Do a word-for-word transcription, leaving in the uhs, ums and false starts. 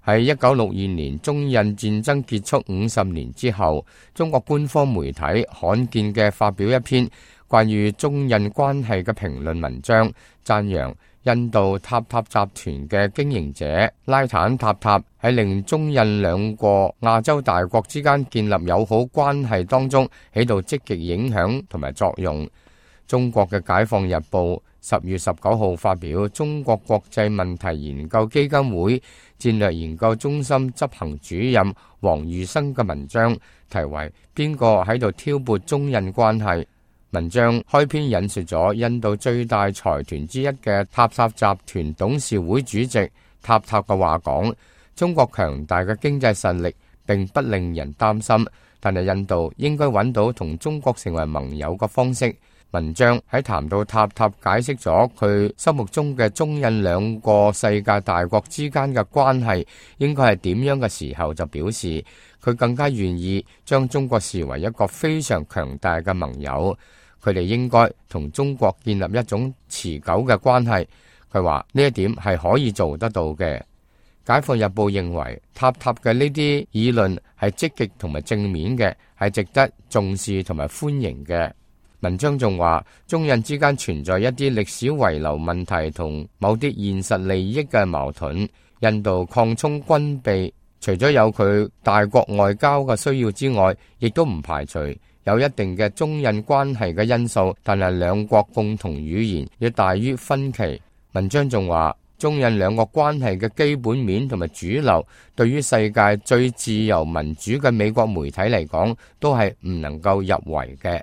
喺一九六二年中印戰爭結束五十年之後，中國官方媒體罕見嘅發表一篇關於中印關係嘅評論文章，讚揚印度塔塔集團嘅經營者拉坦塔塔喺令中印兩個亞洲大國之間建立友好關係當中起到積極影響同埋作用。中國嘅解放日報十月十九號發表中國國際問題研究基金會戰略研究中心執行主任王玉生嘅文章，題為邊個喺度挑撥中印關係。文章開篇引述咗印度最大財團之一嘅塔塔集團董事會主席塔塔嘅話講，中國強大嘅經濟實力並不令人擔心，但係印度應該揾到同中國成為盟友嘅方式。文章喺談到塔塔解釋咗佢心目中嘅中印兩個世界大國之間嘅關係應該係點樣嘅時候，就表示佢更加願意將中國視為一個非常強大嘅盟友，佢哋應該同中國建立一種持久嘅關係。佢話呢一點係可以做得到嘅。解放日報認為塔塔嘅呢啲議論係積極同埋正面嘅，係值得重視同埋歡迎嘅。文章仲話，中印之間存在一啲歷史遺留問題同某啲現實利益嘅矛盾。印度擴充軍備，除咗有佢大國外交嘅需要之外，亦都唔排除有一定嘅中印關係嘅因素，但係兩國共同語言要大於分歧。文章仲話，中印兩個關係嘅基本面同埋主流，對於世界最自由民主嘅美國媒體嚟講，都係唔能夠入圍嘅。